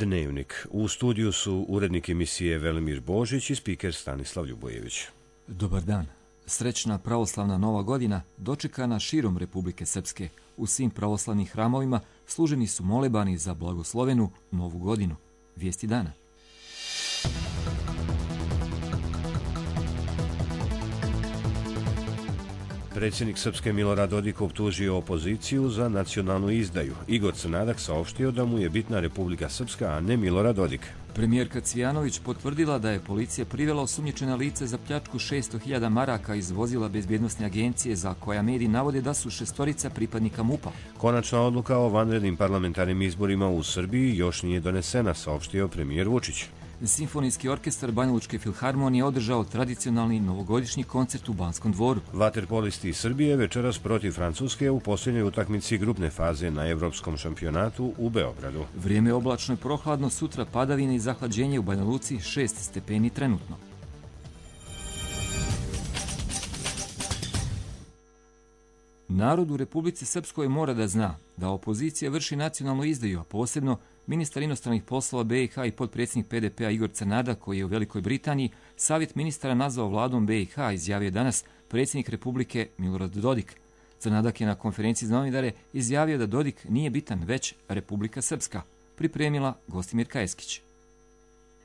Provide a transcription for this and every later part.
Dnevnik. U studiju su urednik emisije Velimir Božić i spiker Stanislav Ljubojević. Dobar dan. Srećna pravoslavna Nova godina dočekana širom Republike Srpske. U svim pravoslavnim hramovima služeni su molebani za blagoslovenu Novu godinu. Vijesti dana. Predsjednik Srpske Milorad Dodik optužio opoziciju za nacionalnu izdaju. Igor Crnadak saopštio da mu je bitna Republika Srpska, a ne Milorad Dodik. Premijerka Cvijanović potvrdila da je policija privela osumnjičena lice za pljačku 600.000 maraka iz vozila bezbjednosne agencije za koja mediji navode da su 6 pripadnika MUP-a. Konačna odluka o vanrednim parlamentarnim izborima u Srbiji još nije donesena, saopštio premijer Vučić. Simfonijski orkestar Banjalučke filharmonije održao tradicionalni novogodišnji koncert u Banskom dvoru. Vaterpolisti iz Srbije večeras protiv Francuske u posljednjoj utakmici grupne faze na Evropskom šampionatu u Beogradu. Vrijeme je oblačno i prohladno, sutra padavine i zahlađenje u Banja Luci 6 stepeni trenutno. Narod u Republici Srpskoj mora da zna da opozicija vrši nacionalnu izdaju, a posebno ministar inostranih poslova BiH i potpredsjednik PDP-a Igor Crnadak, koji je u Velikoj Britaniji, savjet ministara nazvao vladom BiH, izjavio danas predsjednik Republike Milorad Dodik. Crnadak je na konferenciji za novinare izjavio da Dodik nije bitan, već Republika Srpska, pripremila Gostimir Kajeskić.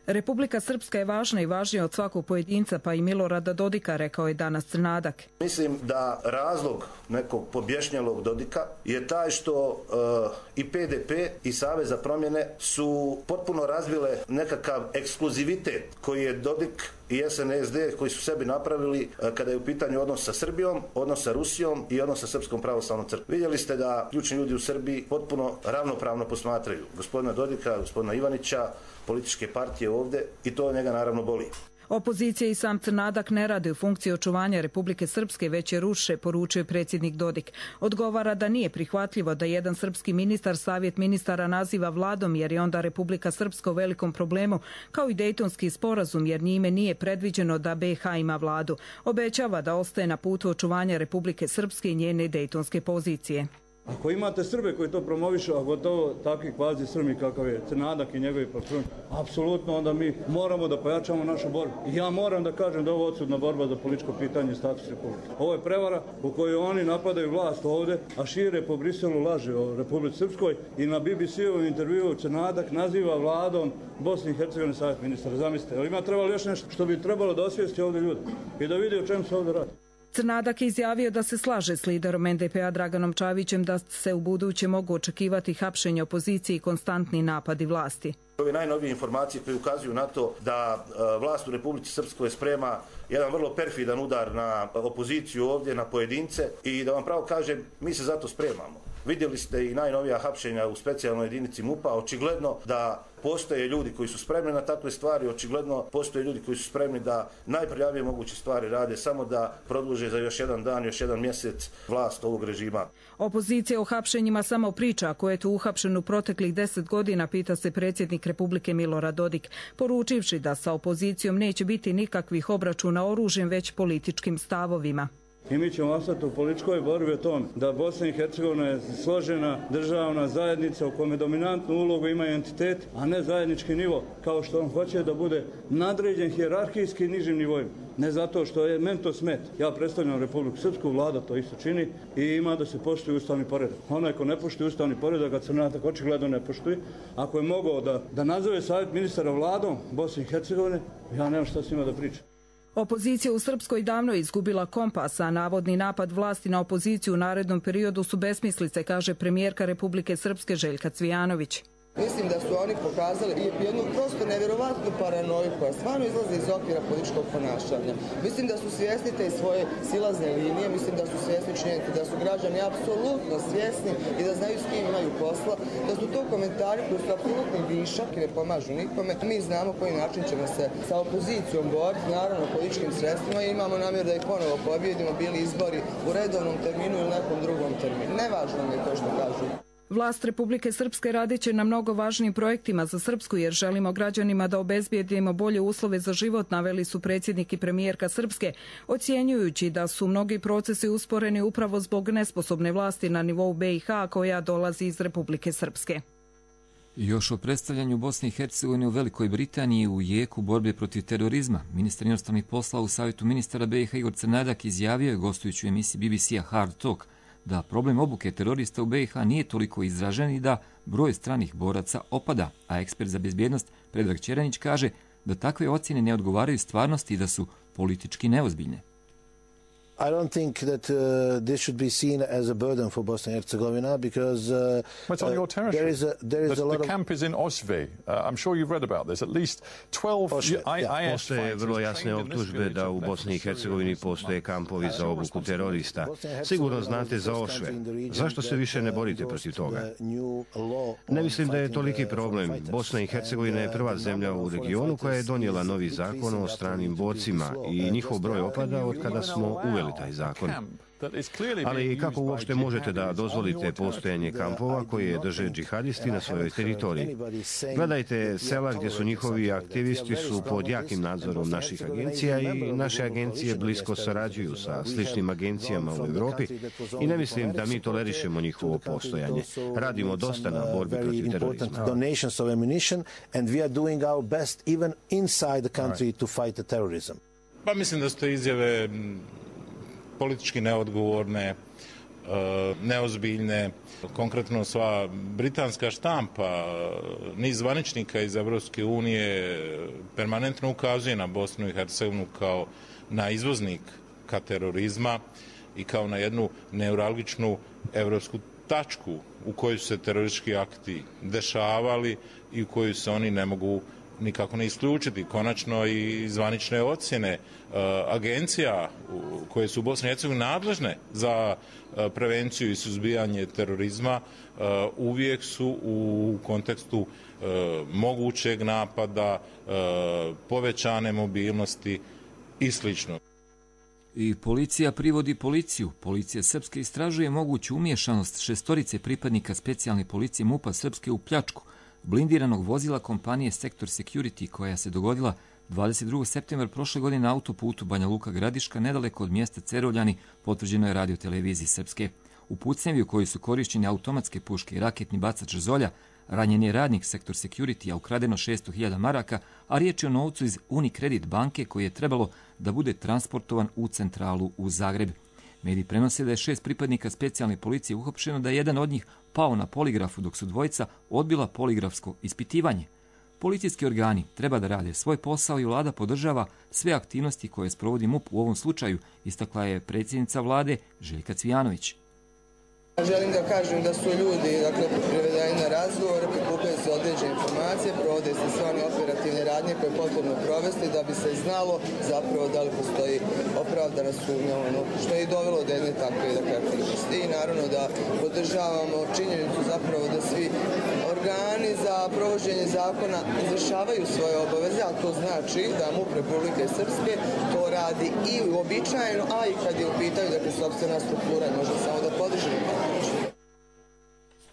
Republika Srpska je važna i važnija od svakog pojedinca, pa i Milorada Dodika, rekao je danas Crnadak. Mislim da razlog nekog pobješnjelog Dodika je taj što i PDP i Savez za promjene su potpuno razvile nekakav ekskluzivitet koji je Dodik i SNSD koji su sebi napravili kada je u pitanju odnos sa Srbijom, odnos sa Rusijom i odnos sa Srpskom pravoslavnom crkvom. Vidjeli ste da ključni ljudi u Srbiji potpuno ravnopravno posmatraju gospodina Dodika, gospodina Ivanića, političke partije ovdje i to njega naravno boli. Opozicija i sam Crnadak ne rade u funkciji očuvanja Republike Srpske, već je ruše, poručio predsjednik Dodik. Odgovara da nije prihvatljivo da jedan srpski ministar savjet ministara naziva vladom, jer je onda Republika Srpska u velikom problemu, kao i Dejtonski sporazum, jer njime nije predviđeno da BiH ima vladu. Obećava da ostaje na putu očuvanja Republike Srpske i njene dejtonske pozicije. Ako imate Srbe koji to promovišu, a gotovo takvi kvazi Srbi kakav je Crnadak i njegovi patroni, apsolutno onda mi moramo da pojačamo našu borbu. I ja moram da kažem da je ovo odsudna borba za političko pitanje i status Republike. Ovo je prevara u kojoj oni napadaju vlast ovdje, a šire po Briselu laže o Republici Srpskoj i na BBC-u intervjuu Crnadak naziva vladom Bosne i Hercegovine savjet ministara. Zamislite, ali ima trebalo još nešto što bi trebalo da osvijesti ovdje ljudi i da vidi o čemu se ovdje radi. Crnadak je izjavio da se slaže s liderom NDP-a Draganom Čavićem da se u buduće mogu očekivati hapšenje opozicije i konstantni napadi vlasti. Ove najnovije informacije koje ukazuju na to da vlast u Republici Srpskoj sprema jedan vrlo perfidan udar na opoziciju ovdje, na pojedince i da vam pravo kažem, mi se zato spremamo. Vidjeli ste i najnovija hapšenja u specijalnoj jedinici MUP-a, očigledno da postoje ljudi koji su spremni na takve stvari, očigledno postoje ljudi koji su spremni da najprljavije moguće stvari rade, samo da produže za još jedan dan, još jedan mjesec vlast ovog režima. Opozicija o hapšenjima samo priča, ko je tu uhapšen u proteklih 10 godina, pita se predsjednik Republike Milorad Dodik, poručivši da sa opozicijom neće biti nikakvih obračuna oružjem, već političkim stavovima. I mi ćemo ostati u političkoj borbi o tome da Bosna i Hercegovina je složena državna zajednica u kome dominantnu ulogu ima entitet, a ne zajednički nivo, kao što on hoće da bude nadređen hijerarhijski nižim nivoima. Ne zato što je meni to smet. Ja predstavljam Republiku Srpsku, vlada to isto čini i ima da se poštuje ustavni poredak. Onaj ko ne poštuje ustavni poredak, a Crnadak očigledno ne poštuje, ako je mogao da nazove savjet ministara vladom Bosne i Hercegovine, ja nemam šta s njima da pričam. Opozicija u Srpskoj davno je izgubila kompas, a navodni napad vlasti na opoziciju u narednom periodu su besmislice, kaže premijerka Republike Srpske Željka Cvijanović. Mislim da su oni pokazali jednu prosto nevjerovatnu paranoju koja stvarno izlazi iz okvira političkog ponašanja. Mislim da su svjesni te svoje silazne linije, mislim da su svjesni činjenice da su građani apsolutno svjesni i da znaju s kim imaju posla, da su to komentari koji su apsolutni višak i ne pomažu nikome. Mi znamo koji način ćemo se sa opozicijom boriti, naravno političkim sredstvima i imamo namjer da ih ponovo pobjedimo, bili izbori u redovnom terminu ili nekom drugom terminu. Nevažno mi je to što kažu. Vlast Republike Srpske radit će na mnogo važnim projektima za Srpsku, jer želimo građanima da obezbijedimo bolje uslove za život, naveli su predsjednik i premijerka Srpske, ocjenjujući da su mnogi procesi usporeni upravo zbog nesposobne vlasti na nivou BiH koja dolazi iz Republike Srpske. Još o predstavljanju Bosne i Hercegovine u Velikoj Britaniji u jeku borbe protiv terorizma. Ministar inostranih poslova u Savjetu ministara BiH Igor Crnadak izjavio je gostujući u emisiji BBC-a Hard Talk da problem obuke terorista u BiH nije toliko izražen i da broj stranih boraca opada, a ekspert za bezbjednost Predrag Ćeranić kaže da takve ocjene ne odgovaraju stvarnosti i da su politički neozbiljne. I don't think that this should be seen as a burden for Bosnia and Herzegovina because it's on your territory. There is a lot of... The camp is in Osvi. I'm sure you've read about this. At least 12 Postoje vrlo jasne optužbe da u Bosni i Hercegovini postoje kampovi za obuku terorista. Sigurno znate za Ošve. Zašto se više ne borite protiv toga? Ne mislim da je toliki problem. Bosna i Hercegovina je prva zemlja u regionu koja je donijela novi zakon o stranim borcima i njihov broj opada od kada smo uveli taj zakon. Ali kako uopšte možete da dozvolite postojanje kampova koje drže džihadisti na svojoj teritoriji? Gledajte, sela gdje su njihovi aktivisti su pod jakim nadzorom naših agencija i naše agencije blisko sarađuju sa sličnim agencijama u Europi i ne mislim da mi tolerišemo njihovo postojanje. Radimo dosta na borbi protiv terorizma. Pa mislim da su to izjave politički neodgovorne, neozbiljne. Konkretno sva britanska štampa, niz zvaničnika iz Evropske unije permanentno ukazuje na Bosnu i Hercegovinu kao na izvoznika terorizma i kao na jednu neuralgičnu evropsku tačku u kojoj su se teroristički akti dešavali i u kojoj se oni ne mogu nikako ne isključiti. Konačno i zvanične ocjene agencija koje su u Bosni i Hercegovini nadležne za prevenciju i suzbijanje terorizma uvijek su u kontekstu mogućeg napada, povećane mobilnosti i slično. I policija privodi policiju. Policija Srpske istražuje moguću umiješanost 6 pripadnika specijalne policije MUP-a Srpske u pljačku blindiranog vozila kompanije Sector Security koja se dogodila 22. septembra prošle godine na autoputu Banja Luka-Gradiška nedaleko od mjesta Cerovljani, potvrđeno je radioteleviziji Srpske. U pucnjevi u kojoj su korišćene automatske puške i raketni bacač Zolja, ranjen je radnik Sector Security, a ukradeno 600.000 maraka, a riječ je o novcu iz Unicredit banke koji je trebalo da bude transportovan u centralu u Zagreb. Mediji prenose da je 6 pripadnika specijalne policije uhapšeno, da je jedan od njih pao na poligrafu dok su dvojica odbila poligrafsko ispitivanje. Policijski organi treba da rade svoj posao i vlada podržava sve aktivnosti koje sprovodi MUP u ovom slučaju, istakla je predsjednica vlade Željka Cvijanović. Želim da kažem da su ljudi privedeni na razgovor, prikupljaju se određene informacije, provode se sve one operativne radnje koje je potrebno provesti da bi se znalo zapravo da li postoji opravdana sumnja, što je i dovelo do jedne takve aktivnosti. I naravno da podržavamo činjenicu zapravo da svi organi za provođenje zakona izvršavaju svoje obaveze, a to znači da MUP Republike Srpske to radi i uobičajeno, a i kad je u pitanju sopstvena struktura, možda samo da podržimo.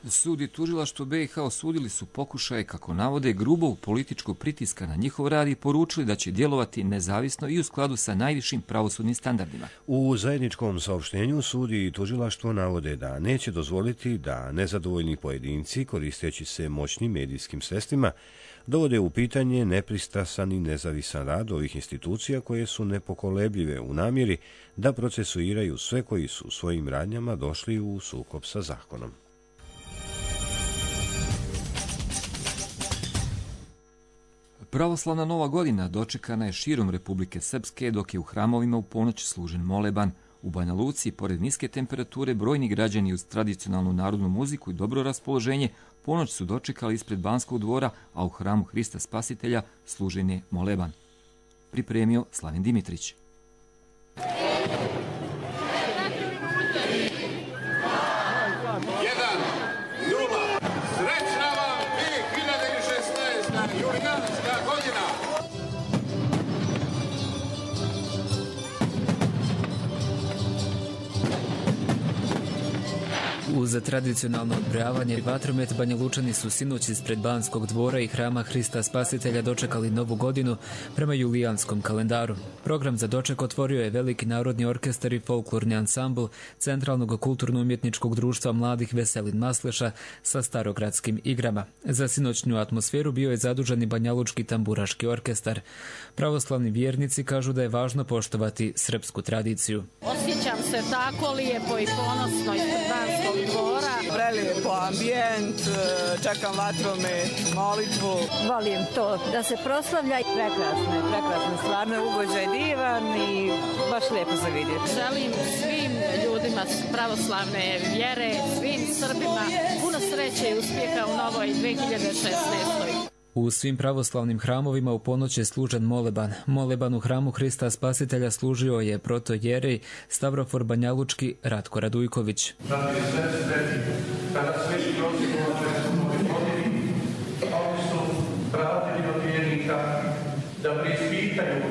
Sud i tužilaštvo BiH osudili su pokušaje, kako navode, grubog političkog pritiska na njihov rad i poručili da će djelovati nezavisno i u skladu sa najvišim pravosudnim standardima. U zajedničkom saopštenju sud i tužilaštvo navode da neće dozvoliti da nezadovoljni pojedinci, koristeći se moćnim medijskim sredstvima, dovode u pitanje nepristrasan i nezavisan rad ovih institucija koje su nepokolebljive u namjeri da procesuiraju sve koji su svojim radnjama došli u sukob sa zakonom. Pravoslavna Nova godina dočekana je širom Republike Srpske, dok je u hramovima u ponoć služen moleban. U Banja Luci, pored niske temperature, brojni građani uz tradicionalnu narodnu muziku i dobro raspoloženje ponoć su dočekali ispred Banskog dvora, a u hramu Hrista Spasitelja služen je moleban. Pripremio Slaven Dimitrić. U Za tradicionalno odbrojavanje vatromet Banja Lučani su sinoć ispred Banskog dvora i hrama Hrista Spasitelja dočekali novu godinu prema julijanskom kalendaru. Program za doček otvorio je Veliki narodni orkestar i folklorni ansambl Centralnog kulturno-umjetničkog društva mladih Veselin Masleša sa starogradskim igrama. Za sinoćnju atmosferu bio je zadužen i Banjalučki tamburaški orkestar. Pravoslavni vjernici kažu da je važno poštovati srpsku tradiciju. Osjećam se tako lijepo i ponosno ispred Banskog dvora. Prelijepo ambijent, čekam vatromet, molitvu. Volim to da se proslavlja. Prekrasno, stvarno ugođaj divan i baš lijepo za vidjeti. Želim svim ljudima pravoslavne vjere, svim Srbima puno sreće i uspjeha u novoj 2016. U svim pravoslavnim hramovima u ponoć je služen moleban. Moleban u hramu Hrista Spasitelja služio je protojerej Stavrofor Banjalučki Ratko Radujković. Kada sveći oni su vratili od vjernika da preispitaju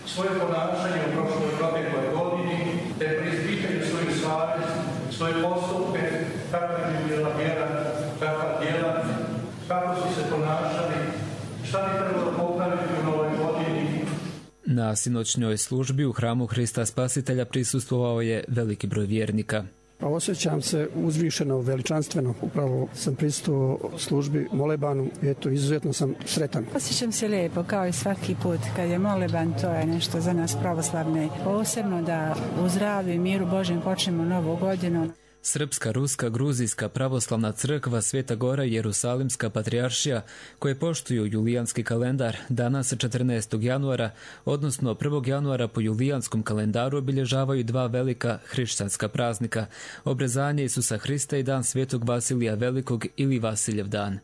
svoje ponašanje u prošloj protekloj godini, te preispitaju svoju savjest, svoje postupke, kakva je bila vjera, kakva djela, kako su se ponašali, šta bi trebalo popraviti u novoj godini. Na sinoćnjoj službi u hramu Hrista Spasitelja prisustvovao je veliki broj vjernika. Osjećam se uzvišeno, veličanstveno. Upravo sam prisustvovao službi molebanu i eto, izuzetno sam sretan. Osjećam se lijepo, kao i svaki put. Kad je moleban, to je nešto za nas pravoslavne. Posebno da u zdravlju i miru Božjem počnemo novu godinu. Srpska, ruska, gruzijska, pravoslavna crkva, Sveta Gora i Jerusalimska patrijaršija, koje poštuju julijanski kalendar, danas 14. januara, odnosno 1. januara po julijanskom kalendaru obilježavaju dva velika hrišćanska praznika, obrezanje Isusa Hrista i dan Svetog Vasilija Velikog ili Vasiljev dan.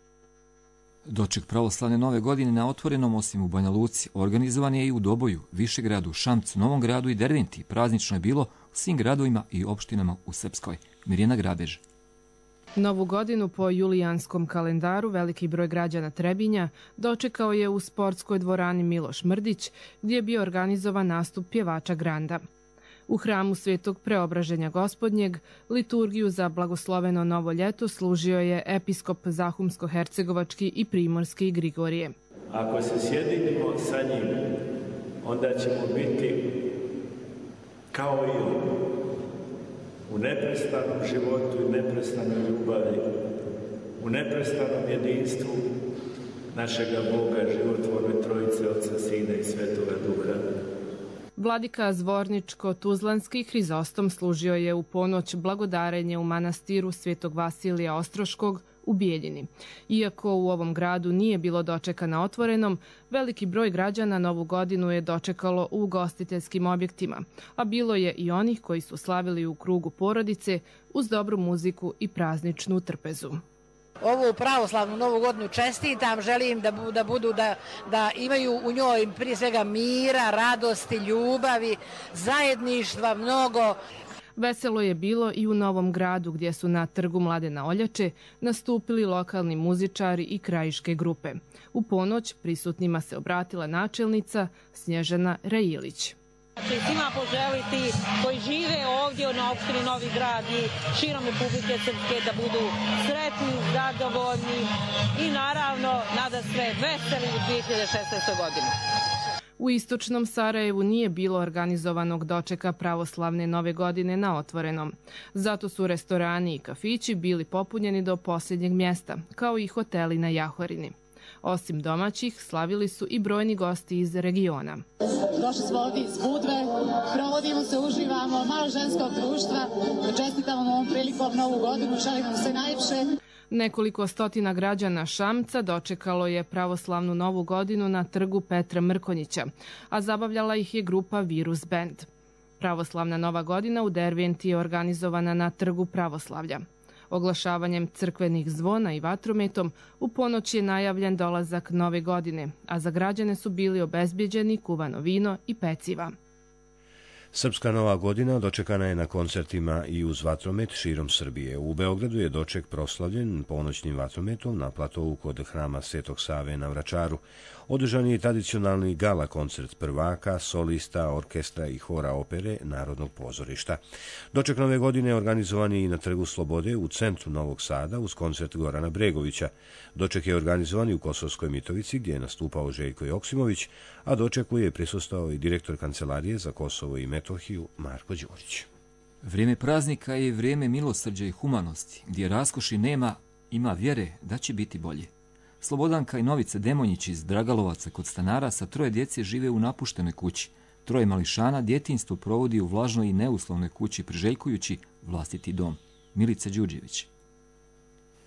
Doček pravoslavne nove godine na otvorenom, osim u Banja Luci, organizovan je i u Doboju, Višegradu, Šamcu, Novom Gradu i Derventi. Praznično je bilo u svim gradovima i opštinama u Srpskoj. Mirjana Grabež. Novu godinu po julijanskom kalendaru veliki broj građana Trebinja dočekao je u sportskoj dvorani Miloš Mrdić, gdje je bio organizovan nastup pjevača Granda. U hramu Svetog Preobraženja Gospodnjeg liturgiju za blagosloveno novo ljeto služio je episkop Zahumsko-hercegovački i primorski Grigorije. Ako se sjedinimo sa njim, onda ćemo biti kao i on, u neprestanom životu i neprestanoj ljubavi, u neprestanom jedinstvu našega Boga, životvorne Trojice, Otca, Sina i Svetoga Duha. Vladika Zvorničko-Tuzlanski Hrizostom služio je u ponoć blagodarenje u manastiru Svetog Vasilija Ostroškog u Bijeljini. Iako u ovom gradu nije bilo dočeka na otvorenom, veliki broj građana novu godinu je dočekalo u ugostiteljskim objektima, a bilo je i onih koji su slavili u krugu porodice uz dobru muziku i prazničnu trpezu. Ovu pravoslavnu novu godinu čestitam, želim da imaju u njoj prije svega mira, radosti, ljubavi, zajedništva mnogo. Veselo je bilo i u Novom Gradu, gdje su na trgu Mladena Oljače nastupili lokalni muzičari i krajiške grupe. U ponoć prisutnima se obratila načelnica Snježana Rajilić. Svima poželiti koji žive ovdje na opštini Novi Grad i širom Republike Srpske da budu sretni, zadovoljni i naravno nadasve veseli u 2016. godini. U istočnom Sarajevu nije bilo organizovanog dočeka pravoslavne nove godine na otvorenom. Zato su restorani i kafići bili popunjeni do posljednjeg mjesta, kao i hoteli na Jahorini. Osim domaćih, slavili su i brojni gosti iz regiona. Došli smo ovdje iz Budve, provodimo se, uživamo, malo ženskog društva, čestitamo ovom prilikom novu godinu, želim vam sve najljepše. Nekoliko stotina građana Šamca dočekalo je pravoslavnu novu godinu na trgu Petra Mrkonjića, a zabavljala ih je grupa Virus Band. Pravoslavna nova godina u Derventi je organizovana na trgu Pravoslavlja. Oglašavanjem crkvenih zvona i vatrometom u ponoć je najavljen dolazak nove godine, a za građane su bili obezbjeđeni kuvano vino i peciva. Srpska nova godina dočekana je na koncertima i uz vatromet širom Srbije. U Beogradu je doček proslavljen ponoćnim vatrometom na platovu kod hrama Svetog Save na Vračaru. Održan je tradicionalni gala koncert prvaka, solista, orkestra i hora opere Narodnog pozorišta. Doček nove godine organizovan je i na Trgu Slobode u centru Novog Sada uz koncert Gorana Bregovića. Doček je organizovan i u Kosovskoj Mitrovici gdje je nastupao Željko Joksimović, a dočeku je prisustvovao i direktor Kancelarije za Kosovo i Metohiju Marko Đurić. Vrijeme praznika je vrijeme milosrđa i humanosti, gdje raskoši nema, ima vjere da će biti bolje. Slobodanka i Novica Demonjić iz Dragalovaca kod stanara sa 3 djece žive u napuštenoj kući. 3 mališana djetinjstvo provodi u vlažnoj i neuslovnoj kući priželjkujući vlastiti dom. Milica Đurđević.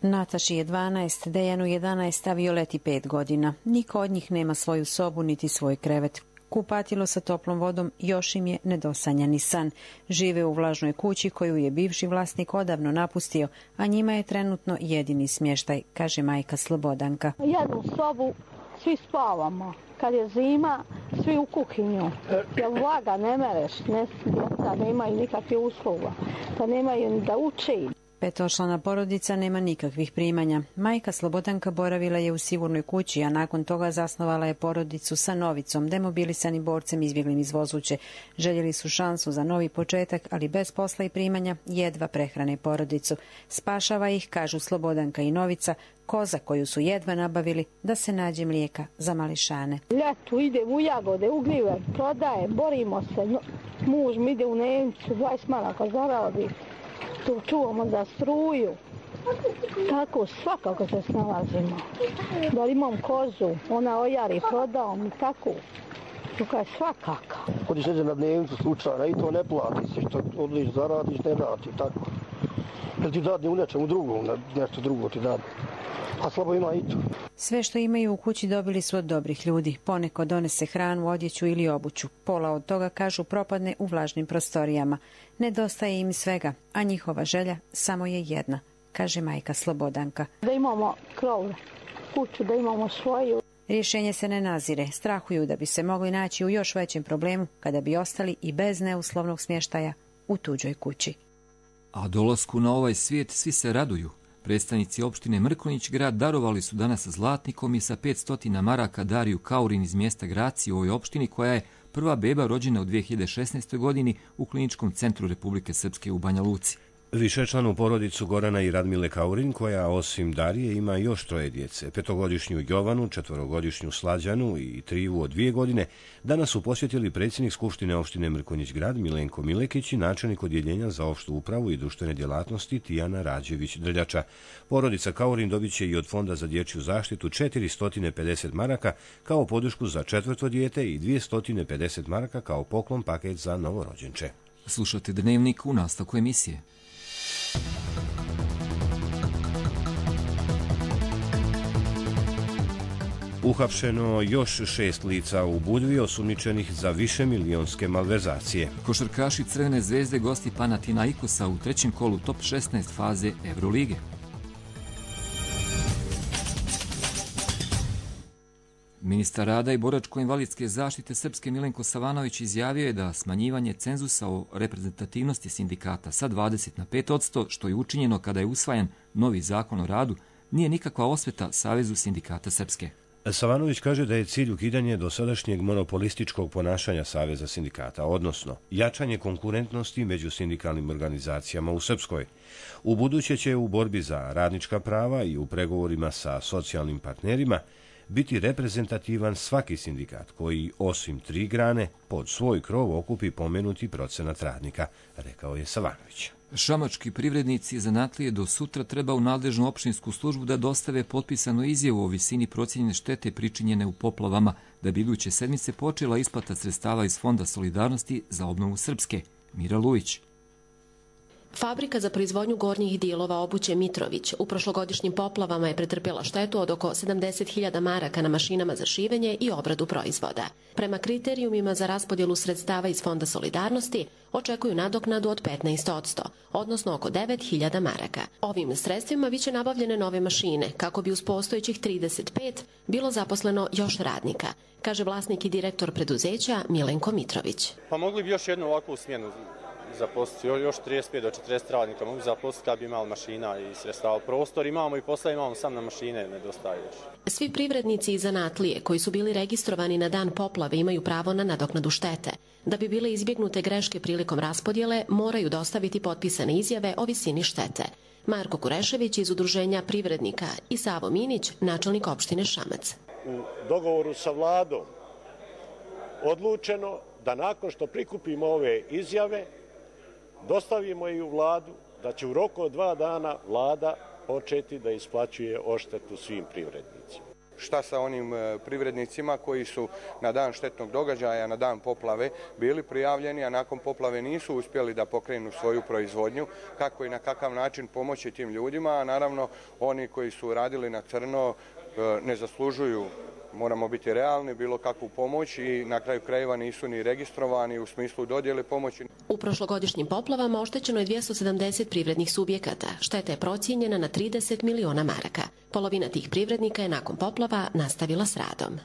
Nataši je 12, Dejanu 11, a Violeti 5 godina. Niko od njih nema svoju sobu niti svoj krevet. Kupatilo sa toplom vodom još im je nedosanjani san. Žive u vlažnoj kući koju je bivši vlasnik odavno napustio, a njima je trenutno jedini smještaj, kaže majka Slobodanka. Jednu sobu, svi spavamo. Kad je zima, svi u kuhinju. Jer vlaga ne mereš, djeca nemaju nikakve uslova, da nemaju ni da uči. 5-člana porodica nema nikakvih primanja. Majka Slobodanka boravila je u sigurnoj kući, a nakon toga zasnovala je porodicu sa Novicom, demobilisanim borcem izbjeglim iz Vozuće. Željeli su šansu za novi početak, ali bez posla i primanja jedva prehrane porodicu. Spašava ih, kažu Slobodanka i Novica, koza koju su jedva nabavili da se nađe mlijeka za mališane. Ljetu idem u jagode, u gljive, prodaje, borimo se. Muž mi ide u Nemcu, 20 maraka zaradi. Tu čuvamo za struju. Tako svakako se snalazimo. Da li imam kozu, ona ojari, prodao mi tako. Tukaj je svakako. Kodiš neđe na dnevnicu slučajna i to ne plati se, što odliš zaradiš, ne vrati, tako. Jel ti dadne u nečemu drugom, nešto drugo ti dadne. A slabo ima i to. Sve što imaju u kući dobili su od dobrih ljudi. Poneko donese hranu, odjeću ili obuću. Pola od toga, kažu, propadne u vlažnim prostorijama. Nedostaje im svega, a njihova želja samo je jedna, kaže majka Slobodanka. Da imamo krov, kuću, da imamo svoju. Rješenje se ne nazire. Strahuju da bi se mogli naći u još većem problemu kada bi ostali i bez neuslovnog smještaja u tuđoj kući. A dolasku na ovaj svijet svi se raduju. Predstavnici opštine Mrkonjić grad darovali su danas zlatnikom i sa 500 maraka Dariju Kaurin iz mjesta Graci u ovoj opštini, koja je prva beba rođena u 2016. godini u Kliničkom centru Republike Srpske u Banja Luci. Višečlanu porodicu Gorana i Radmile Kaurin, koja osim Darije ima još 3 djece, 5-godišnju Jovanu, 4-godišnju Slađanu i Trivu od 2 godine, danas su posjetili predsjednik Skupštine opštine Mrkonjić grad Milenko Milekić i načelnik odjeljenja za opštu upravu i društvene djelatnosti Tijana Rađević-Drljača. Porodica Kaurin dobit će i od Fonda za dječju zaštitu 450 maraka kao podršku za 4. dijete i 250 maraka kao poklon paket za novorođenče. Slušate Dnevnik u nastavku emisije. Uhapšeno još 6 lica u Budvi osumnjičenih za višemilijonske malverzacije. Košarkaši Crvene zvezde gosti Panathinaikosa u 3. kolu top 16 faze Evrolige. Ministar rada i boračko-invalidske zaštite Srpske Milenko Savanović izjavio je da smanjivanje cenzusa o reprezentativnosti sindikata sa 20 na 5%, što je učinjeno kada je usvajan novi zakon o radu, nije nikakva osveta Savezu sindikata Srpske. Savanović kaže da je cilj ukidanje dosadašnjeg monopolističkog ponašanja Saveza sindikata, odnosno jačanje konkurentnosti među sindikalnim organizacijama u Srpskoj. U buduće će u borbi za radnička prava i u pregovorima sa socijalnim partnerima biti reprezentativan svaki sindikat koji, osim 3 grane, pod svoj krov okupi pomenuti procenat radnika, rekao je Savanović. Šamački privrednici i zanatlije do sutra treba u nadležnu opštinsku službu da dostave potpisanu izjavu o visini procijenjene štete pričinjene u poplavama, da bi iduće sedmice počela isplata sredstava iz Fonda solidarnosti za obnovu Srpske. Mira Lujić. Fabrika za proizvodnju gornjih dijelova obuće Mitrović u prošlogodišnjim poplavama je pretrpjela štetu od oko 70.000 maraka na mašinama za šivenje i obradu proizvoda. Prema kriterijumima za raspodjelu sredstava iz Fonda solidarnosti očekuju nadoknadu od 15%, odnosno oko 9.000 maraka. Ovim sredstvima biće nabavljene nove mašine kako bi uz postojećih 35 bilo zaposleno još radnika, kaže vlasnik i direktor preduzeća Milenko Mitrović. Pa mogli bi još jednu ovakvu smjenu zaposliti, još 35 do 40 radnika mogu zaposliti kad bi imali mašina i sredstava. Prostor imamo i posla imamo, sam na mašine nedostaje još. Svi privrednici i zanatlije koji su bili registrovani na dan poplave imaju pravo na nadoknadu štete. Da bi bile izbjegnute greške prilikom raspodjele, moraju dostaviti potpisane izjave o visini štete. Marko Kurešević iz Udruženja privrednika i Savo Minić, načelnik opštine Šamac. U dogovoru sa vladom odlučeno da nakon što prikupimo ove izjave, dostavimo i u vladu, da će u roku od 2 dana vlada početi da isplaćuje odštetu svim privrednicima. Šta sa onim privrednicima koji su na dan štetnog događaja, na dan poplave bili prijavljeni, a nakon poplave nisu uspjeli da pokrenu svoju proizvodnju, kako i na kakav način pomoći tim ljudima, a naravno oni koji su radili na crno ne zaslužuju, moramo biti realni, bilo kakvu pomoć i na kraju krajeva nisu ni registrovani u smislu dodjele pomoći. U prošlogodišnjim poplavama oštećeno je 270 privrednih subjekata. Šteta je procijenjena na 30 miliona maraka. Polovina tih privrednika je nakon poplava nastavila s radom.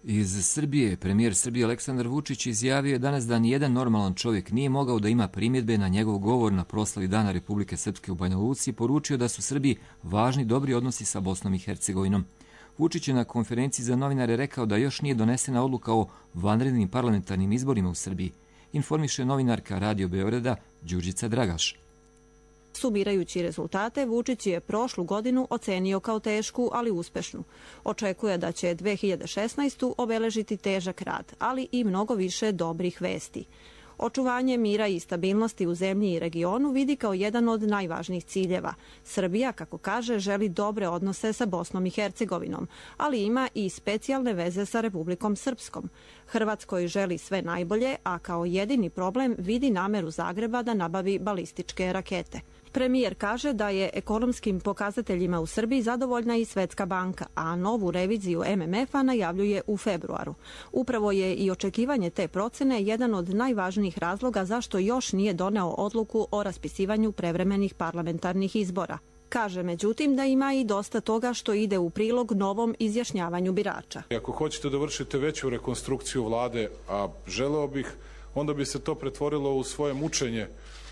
Iz Srbije, premijer Srbije Aleksandar Vučić izjavio je danas da nijedan normalan čovjek nije mogao da ima primjedbe na njegov govor na proslavi Dana Republike Srpske u Banja Luci i poručio da su Srbiji važni dobri odnosi sa Bosnom i Hercegovinom. Vučić je na konferenciji za novinare rekao da još nije donesena odluka o vanrednim parlamentarnim izborima u Srbiji, informiše novinarka Radio Beograda Đurđica Dragaš. Sumirajući rezultate, Vučić je prošlu godinu ocenio kao tešku, ali uspešnu. Očekuje da će 2016. obeležiti težak rad, ali i mnogo više dobrih vesti. Očuvanje mira i stabilnosti u zemlji i regionu vidi kao jedan od najvažnijih ciljeva. Srbija, kako kaže, želi dobre odnose sa Bosnom i Hercegovinom, ali ima i specijalne veze sa Republikom Srpskom. Hrvatskoj želi sve najbolje, a kao jedini problem vidi nameru Zagreba da nabavi balističke rakete. Premijer kaže da je ekonomskim pokazateljima u Srbiji zadovoljna i Svetska banka, a novu reviziju MMF-a najavljuje u februaru. Upravo je i očekivanje te procene jedan od najvažnijih razloga zašto još nije doneo odluku o raspisivanju prevremenih parlamentarnih izbora. Kaže, međutim, da ima i dosta toga što ide u prilog novom izjašnjavanju birača. Ako hoćete da vršite veću rekonstrukciju vlade, a želeo bih, onda bi se to pretvorilo u svoje mučenje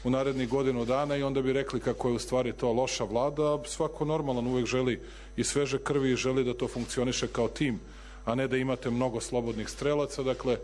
u narednih godinu dana i onda bi rekli kako je u stvari to loša vlada, a svako normalan uvek želi i sveže krvi i želi da to funkcioniše kao tim, a ne da imate mnogo slobodnih strelaca. Dakle,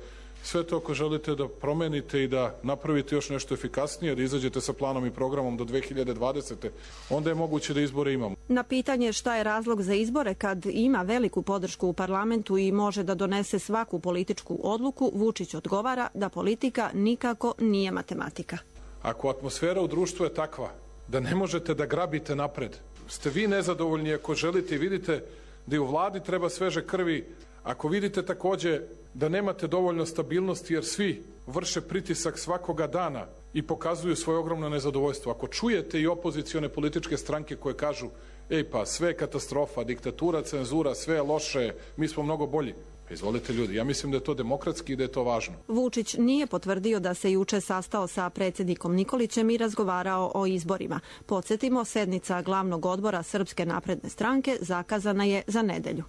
sve to ako želite da promenite i da napravite još nešto efikasnije, da izađete sa planom i programom do 2020. onda je moguće da izbore imamo. Na pitanje šta je razlog za izbore kad ima veliku podršku u parlamentu i može da donese svaku političku odluku, Vučić odgovara da politika nikako nije matematika. Ako atmosfera u društvu je takva da ne možete da grabite napred, ste vi nezadovoljni ako želite i vidite da i u vladi treba sveže krvi, ako vidite takođe da nemate dovoljno stabilnosti jer svi vrše pritisak svakoga dana i pokazuju svoje ogromno nezadovoljstvo, ako čujete i opozicione političke stranke koje kažu ej pa sve je katastrofa, diktatura, cenzura, sve je loše, mi smo mnogo bolji. Izvolite ljudi, ja mislim da je to demokratski i da je to važno. Vučić nije potvrdio da se juče sastao sa predsjednikom Nikolićem i razgovarao o izborima. Podsjetimo, sednica glavnog odbora Srpske napredne stranke zakazana je za nedelju.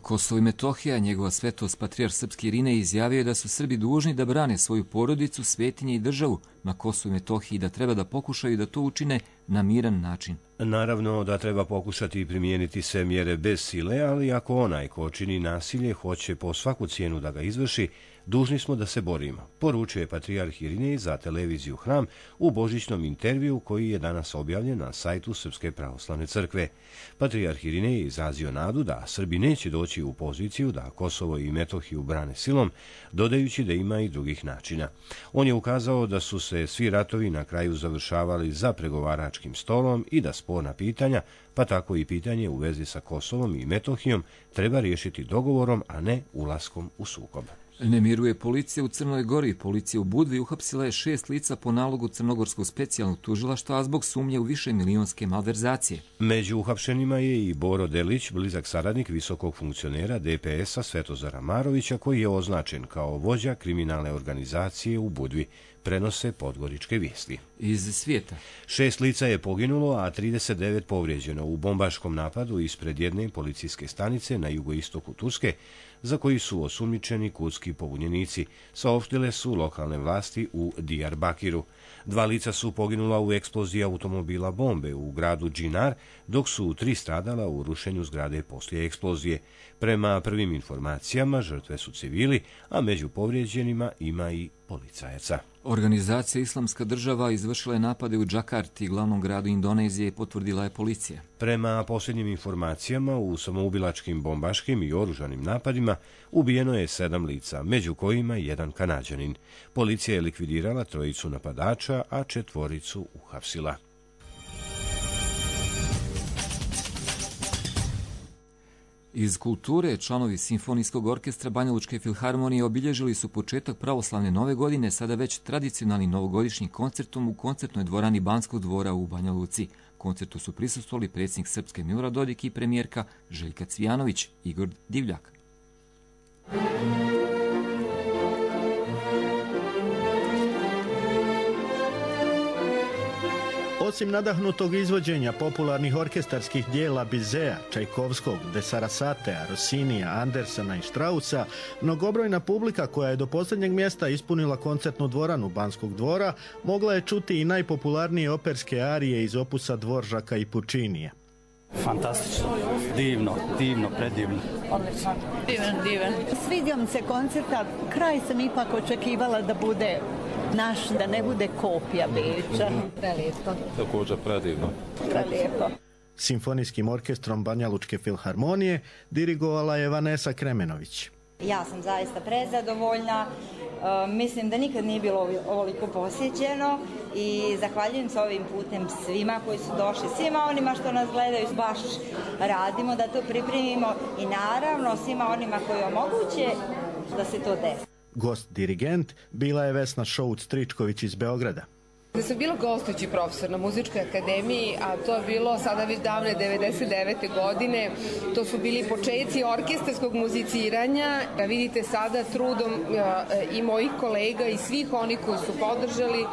Kosovo i Metohija, njegova svetost patrijarh srpski Irinej izjavio je da su Srbi dužni da brane svoju porodicu, svetinje i državu na Kosovu i Metohiji i da treba da pokušaju da to učine na miran način. Naravno da treba pokušati primijeniti sve mjere bez sile, ali ako onaj ko čini nasilje hoće po svaku cijenu da ga izvrši, dužni smo da se borimo, poručuje patrijarh Irinej za televiziju Hram u božićnom intervju koji je danas objavljen na sajtu Srpske pravoslavne crkve. Patrijarh Irinej je izrazio nadu da Srbi neće doći u poziciju da Kosovo i Metohiju brane silom, dodajući da ima i drugih načina. On je ukazao da su se svi ratovi na kraju završavali za pregovaračkim stolom i da sporna pitanja, pa tako i pitanje u vezi sa Kosovom i Metohijom, treba riješiti dogovorom, a ne ulaskom u sukob. Ne miruje policija u Crnoj Gori. Policija u Budvi uhapsila je 6 lica po nalogu Crnogorskog specijalnog tužilaštva, a zbog sumnje u više milionske malverzacije. Među uhapšenima je i Boro Delić, blizak saradnik visokog funkcionera DPS-a Svetozara Marovića, koji je označen kao vođa kriminalne organizacije u Budvi, prenose podgoričke vijesti. Iz svijeta. 6 lica je poginulo, a 39 povrijeđeno u bombaškom napadu ispred jedne policijske stanice na jugoistoku Turske, za koji su osumnjičeni kurdski pobunjenici, saopštile su lokalne vlasti u Diyarbakiru. 2 lica su poginula u eksploziji automobila bombe u gradu Džinar, dok su 3 stradala u rušenju zgrade poslije eksplozije. Prema prvim informacijama, žrtve su civili, a među povrijeđenima ima i policajaca. Organizacija Islamska država izvršila je napade u Džakarti, glavnom gradu Indonezije, potvrdila je policija. Prema posljednjim informacijama, u samoubilačkim bombaškim i oružanim napadima ubijeno je 7 lica, među kojima 1 Kanađanin. Policija je likvidirala 3 napadača, a 4 uhapsila. Iz kulture, članovi Simfonijskog orkestra Banjalučke filharmonije obilježili su početak pravoslavne nove godine, sada već tradicionalnim novogodišnjim koncertom u koncertnoj dvorani Banskog dvora u Banja Luci. Koncertu su prisustvovali predsjednik Srpske Milorad Dodik i premijerka Željka Cvijanović, Igor Divljak. Osim nadahnutog izvođenja popularnih orkestarskih dijela Bizea, Čajkovskog, De Sarasatea, Rossinija, Andersena i Strausa, mnogobrojna publika koja je do posljednjeg mjesta ispunila koncertnu dvoranu Banskog dvora mogla je čuti i najpopularnije operske arije iz opusa Dvoržaka i Pučinija. Fantastično, divno, predivno. Odlično, divan. Svidio mi se koncerta, kraj sam ipak očekivala da bude naš, da ne bude kopija Beča. Prelijepo. Također predivno. Prelijepo. Simfonijskim orkestrom Banjalučke filharmonije dirigovala je Vanesa Kremenović. Ja sam zaista prezadovoljna, mislim da nikad nije bilo ovoliko posjećeno i zahvaljujem se ovim putem svima koji su došli, svima onima što nas gledaju, baš radimo da to pripremimo i naravno svima onima koji omoguće da se to desi. Gost dirigent bila je Vesna Šouc-Tričković iz Beograda. Da sam bila gostujući profesor na Muzičkoj akademiji, a to je bilo sada već davne 99. godine, to su bili početci orkestarskog muziciranja. Vidite sada trudom i mojih kolega i svih onih koji su podržali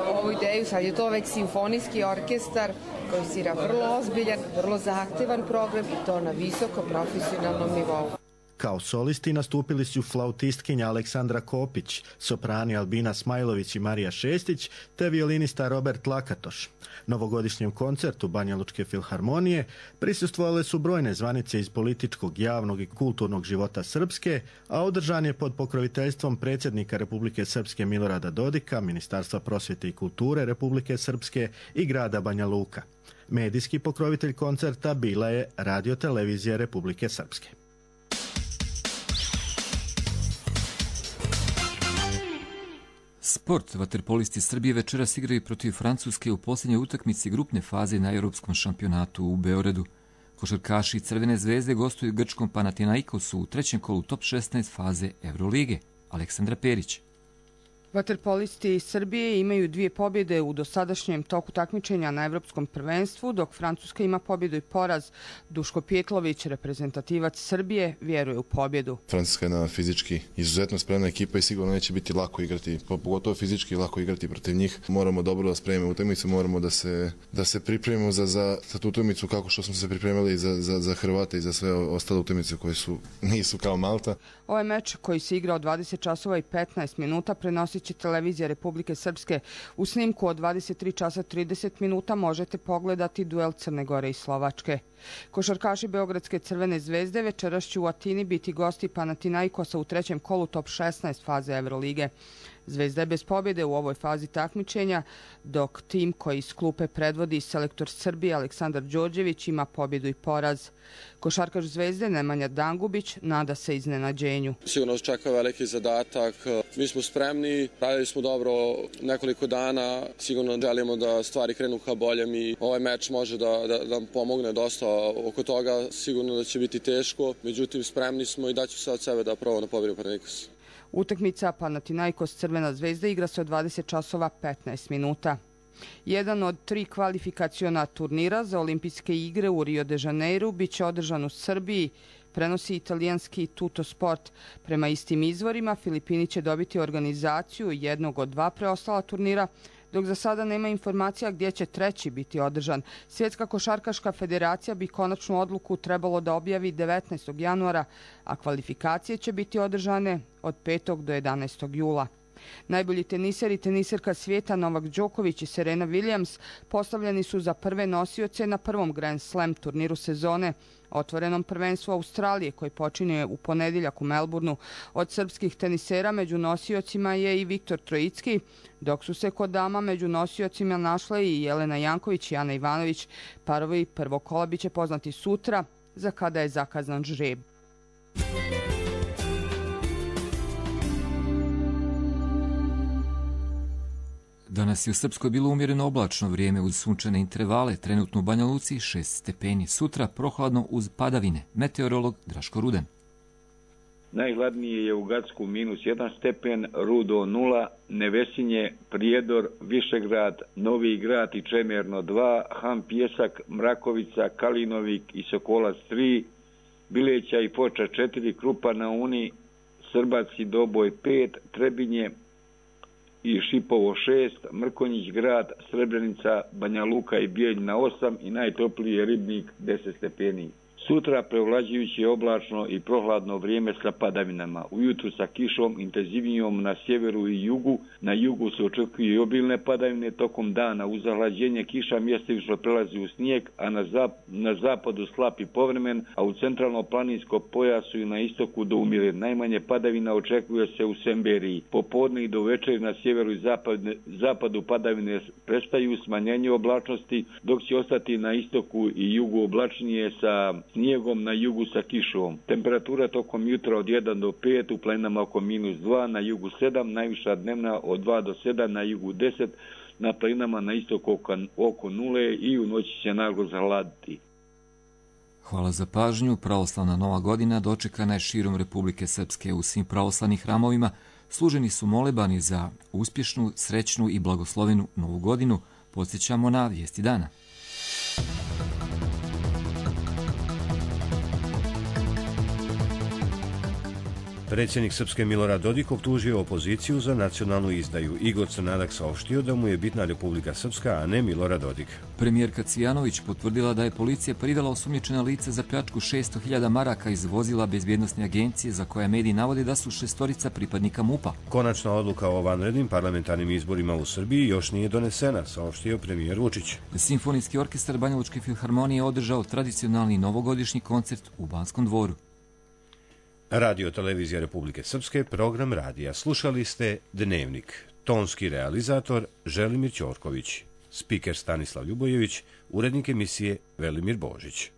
ovu ideju, sad je to već simfonijski orkestar koji svira vrlo ozbiljan, vrlo zahtevan program i to na visoko profesionalnom nivou. Kao solisti nastupili su flautistkinja Aleksandra Kopić, soprani Albina Smajlović i Marija Šestić, te violinista Robert Lakatoš. Novogodišnjem koncertu Banjalučke filharmonije prisustvovale su brojne zvanice iz političkog, javnog i kulturnog života Srpske, a održan je pod pokroviteljstvom predsjednika Republike Srpske Milorada Dodika, Ministarstva prosvjete i kulture Republike Srpske i grada Banja Luka. Medijski pokrovitelj koncerta bila je Radio-televizija Republike Srpske. Sport. Vaterpolisti Srbije večeras igraju protiv Francuske u posljednjoj utakmici grupne faze na Europskom šampionatu u Beogradu. Košarkaši Crvene zvezde gostuju grčkom Panathinaikosu u trećem kolu top 16 faze Evrolige. Aleksandra Perić. Vaterpolisti Srbije imaju 2 pobjede u dosadašnjem toku takmičenja na Evropskom prvenstvu, dok Francuska ima pobjedu i poraz. Duško Pjetlović, reprezentativac Srbije, vjeruje u pobjedu. Francuska je na fizički izuzetno spremna ekipa i sigurno neće biti lako igrati, pogotovo fizički lako igrati protiv njih. Moramo dobro da spremimo utakmicu, moramo da se pripremimo za tu utakmicu kako što smo se pripremili za Hrvate i za sve ostale utakmice koje nisu kao Malta. Ovaj meč koji se igra od 20 časova i 15 minuta prenosit će televizija Republike Srpske. U snimku od 23 časa 30 minuta možete pogledati duel Crne Gore i Slovačke. Košarkaši Beogradske Crvene zvezde večeras će u Atini biti gosti Panathinaikosa u trećem kolu top 16 faze Evrolige. Zvezda je bez pobjede u ovoj fazi takmičenja, dok tim koji iz klupe predvodi selektor Srbije Aleksandar Đorđević ima pobjedu i poraz. Košarkaš Zvezde Nemanja Dangubić nada se iznenađenju. Sigurno nas čeka veliki zadatak. Mi smo spremni, radili smo dobro nekoliko dana, sigurno želimo da stvari krenu ka boljem i ovaj meč može da nam pomogne dosta oko toga sigurno da će biti teško, međutim spremni smo i daću se od sebe da probamo da pobedimo Panathinaikos. Utakmica Panathinaikos Crvena zvezda igra se od 20 časova 15 minuta. Jedan od 3 kvalifikaciona turnira za olimpijske igre u Rio de Janeiru biće održan u Srbiji, prenosi italijanski Tuttosport. Prema istim izvorima, Filipini će dobiti organizaciju jednog od 2 preostala turnira, dok za sada nema informacija gdje će treći biti održan. Svjetska košarkaška federacija bi konačnu odluku trebalo da objavi 19. januara, a kvalifikacije će biti održane od 5. do 11. jula. Najbolji teniser i teniserka svijeta Novak Đoković i Serena Williams postavljeni su za prve nosioce na prvom Grand Slam turniru sezone, otvorenom prvenstvu Australije koji počinje u ponedjeljak u Melbourneu. Od srpskih tenisera među nosiocima je i Viktor Trojicki, dok su se kod dama među nosiocima našle i Jelena Janković i Ana Ivanović. Parovi prvog kola biće poznati sutra, za kada je zakazan žreb. Danas je u Srpskoj bilo umjereno oblačno vrijeme uz sunčane intervale, trenutno u Banja Luci 6 stepeni. Sutra prohladno uz padavine. Meteorolog Draško Ruden. Najhladnije je u Gacku -1 stepen, Rudo 0, Nevesinje, Prijedor, Višegrad, Novi Grad i Čemerno 2, Han Pjesak, Mrakovica, Kalinovik i Sokolac 3, Bileća i Foča 4, Krupa na Uni, Srbac i Doboj 5, Trebinje i Šipovo 6, Mrkonjić grad, Srebrenica, Banja Luka i Bijeljina 8 i najtopliji je Ribnik 10 stepeni. Sutra prevlađujući oblačno i prohladno vrijeme sa padavinama. Ujutru sa kišom intenzivnijom na sjeveru i jugu. Na jugu se očekuju i obilne padavine tokom dana. Uz zahlađenje kiša mjestimično prelazi u snijeg, a na zapadu slab i povremen, a u centralno-planinskom pojasu i na istoku do umire. Najmanje padavina očekuje se u Semberiji. Popodne i do večeri na sjeveru i zapadu padavine prestaju, smanjenje oblačnosti, dok će ostati na istoku i jugu oblačnije sa snijegom, na jugu sa kišom. Temperatura tokom jutra od 1 do 5, u planinama oko -2, na jugu 7, najviša dnevna od 2 do 7, na jugu 10, na planinama na istoku oko 0 i u noći će naglo zahladiti. Hvala za pažnju. Pravoslavna Nova godina dočekana je širom Republike Srpske. U svim pravoslavnih hramovima služeni su molebani za uspješnu, srećnu i blagoslovenu Novu godinu. Podsjećamo na vijesti dana. Predsjednik Srpske Milorad Dodik optužio opoziciju za nacionalnu izdaju. Igor Crnadak saopštio da mu je bitna Republika Srpska, a ne Milorad Dodik. Premijerka Cvijanović potvrdila da je policija privela osumnjičena lica za pljačku 600.000 maraka iz vozila bezbjednosne agencije za koje mediji navode da su 6 pripadnika MUP-a. Konačna odluka o vanrednim parlamentarnim izborima u Srbiji još nije donesena, saopštio premijer Vučić. Simfonijski orkestar Banjalučke filharmonije održao tradicionalni novogodišnji koncert u Banskom dvoru. Radio Televizija Republike Srpske, program radija. Slušali ste Dnevnik. Tonski realizator Želimir Ćorković. Spiker Stanislav Ljubojević. Urednik emisije Velimir Božić.